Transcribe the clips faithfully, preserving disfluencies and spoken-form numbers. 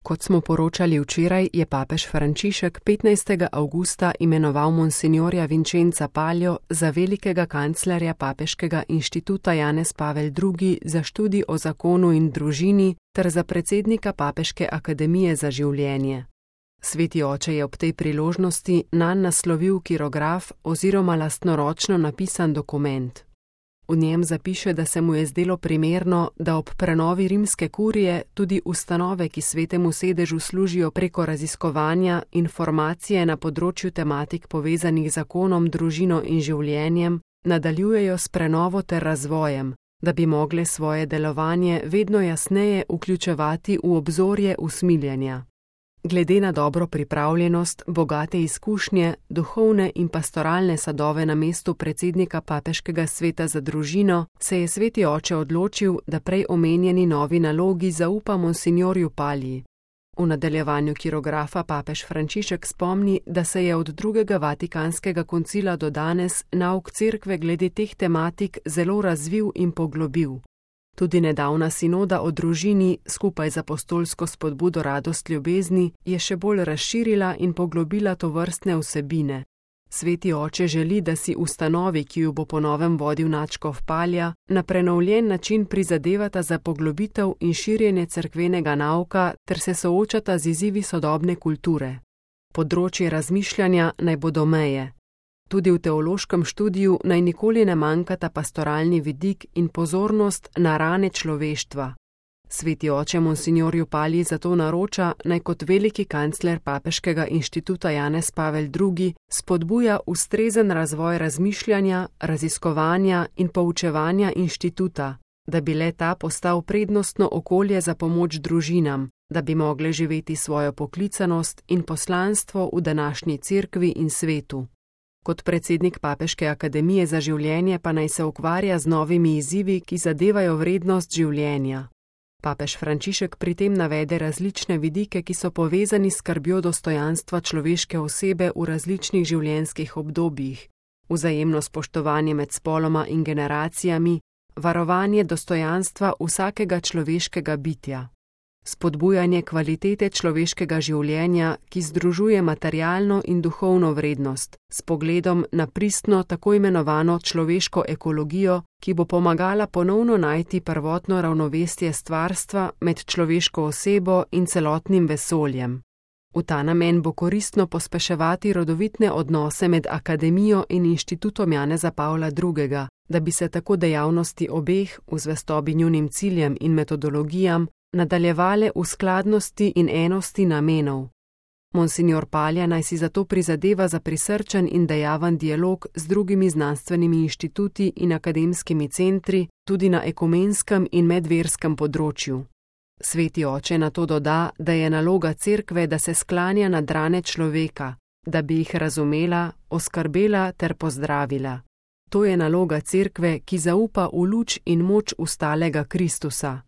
Kot smo poročali včeraj, je papež Frančišek petnajstega avgusta imenoval monsinjorja Vincenza Palio za velikega kanclerja Papeškega inštituta Janez Pavel drugi za študij o zakonu in družini ter za predsednika Papeške akademije za življenje. Sveti oče je ob tej priložnosti nanj naslovil kirograf oziroma lastnoročno napisan dokument. V njem zapiše, da se mu je zdelo primerno, da ob prenovi rimske kurije tudi ustanove, ki svetemu sedežu služijo preko raziskovanja informacije na področju tematik povezanih z zakonom, družino in življenjem, nadaljujejo s prenovo ter razvojem, da bi mogle svoje delovanje vedno jasneje vključevati v obzorje usmiljenja. Glede na dobro pripravljenost, bogate izkušnje, duhovne in pastoralne sadove na mestu predsednika Papeškega sveta za družino, se je sveti oče odločil, da prej omenjeni novi nalogi zaupa monsinjorju Paliji. V nadaljevanju kirografa papež Frančišek spomni, da se je od drugega Vatikanskega koncila do danes nauk cerkve glede teh tematik zelo razvil in poglobil. Tudi nedavna sinoda o družini, skupaj z apostolsko spodbudo Radost ljubezni, je še bolj razširila in poglobila tovrstne vsebine. Sveti oče želi, da si ustanovi, ki jo bo po novem vodil nadškof Palja, na prenovljen način prizadevata za poglobitev in širjenje cerkvenega nauka ter se soočata z izzivi sodobne kulture. Področje razmišljanja naj bodo meje. Tudi v teološkem študiju naj nikoli ne manjkata pastoralni vidik in pozornost na rane človeštva. Sveti oče monsinjorju Paliji zato naroča, naj kot veliki kancler Papeškega inštituta Janez Pavel drugi spodbuja ustrezen razvoj razmišljanja, raziskovanja in poučevanja inštituta, da bi le ta postal prednostno okolje za pomoč družinam, da bi mogle živeti svojo poklicanost in poslanstvo v današnji cerkvi in svetu. Kot predsednik Papeške akademije za življenje pa naj se ukvarja z novimi izzivi, ki zadevajo vrednost življenja. Papež Frančišek pri tem navede različne vidike, ki so povezani s skrbjo dostojanstva človeške osebe v različnih življenjskih obdobjih, vzajemno spoštovanje med spoloma in generacijami, varovanje dostojanstva vsakega človeškega bitja. Spodbujanje kvalitete človeškega življenja, ki združuje materialno in duhovno vrednost, s pogledom na pristno tako imenovano človeško ekologijo, ki bo pomagala ponovno najti prvotno ravnovesje stvarstva med človeško osebo in celotnim vesoljem. V ta namen bo koristno pospeševati rodovitne odnose med akademijo in inštitutom Janeza Pavla drugega, da bi se tako dejavnosti obeh v zvestobi njunim ciljem in metodologijam nadaljevale v skladnosti in enosti namenov. Monsinjor Palja naj si zato prizadeva za prisrčen in dejaven dialog z drugimi znanstvenimi inštituti in akademskimi centri, tudi na ekumenskem in medverskem področju. Sveti oče na to doda, da je naloga cerkve, da se sklanja nad rane človeka, da bi jih razumela, oskrbela ter pozdravila. To je naloga cerkve, ki zaupa v luč in moč ustalega Kristusa.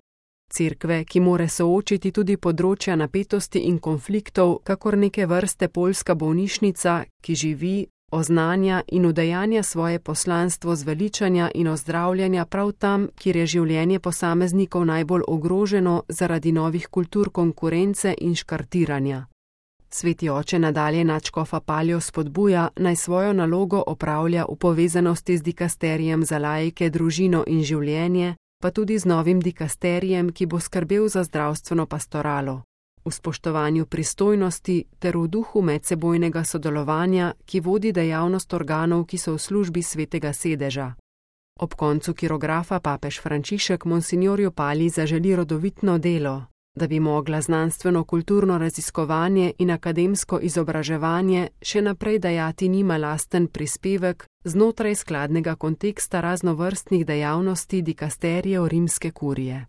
Cerkve, ki more soočiti tudi področja napetosti in konfliktov, kakor neke vrste poljska bolnišnica, ki živi, oznanja in udejanja svoje poslanstvo zveličanja in ozdravljanja prav tam, kjer je življenje posameznikov najbolj ogroženo zaradi novih kultur konkurence in škartiranja. Sveti oče nadalje nadškofa Paljo spodbuja, naj svojo nalogo opravlja v povezanosti z dikasterijem za laike, družino in življenje, pa tudi z novim dikasterijem, ki bo skrbel za zdravstveno pastoralo, v spoštovanju pristojnosti ter v duhu medsebojnega sodelovanja, ki vodi dejavnost organov, ki so v službi svetega sedeža. Ob koncu kirografa papež Frančišek monsinjorju Paliji zaželi rodovitno delo, da bi mogla znanstveno-kulturno raziskovanje in akademsko izobraževanje še naprej dajati njima lasten prispevek znotraj skladnega konteksta raznovrstnih dejavnosti dikasterijev rimske kurije.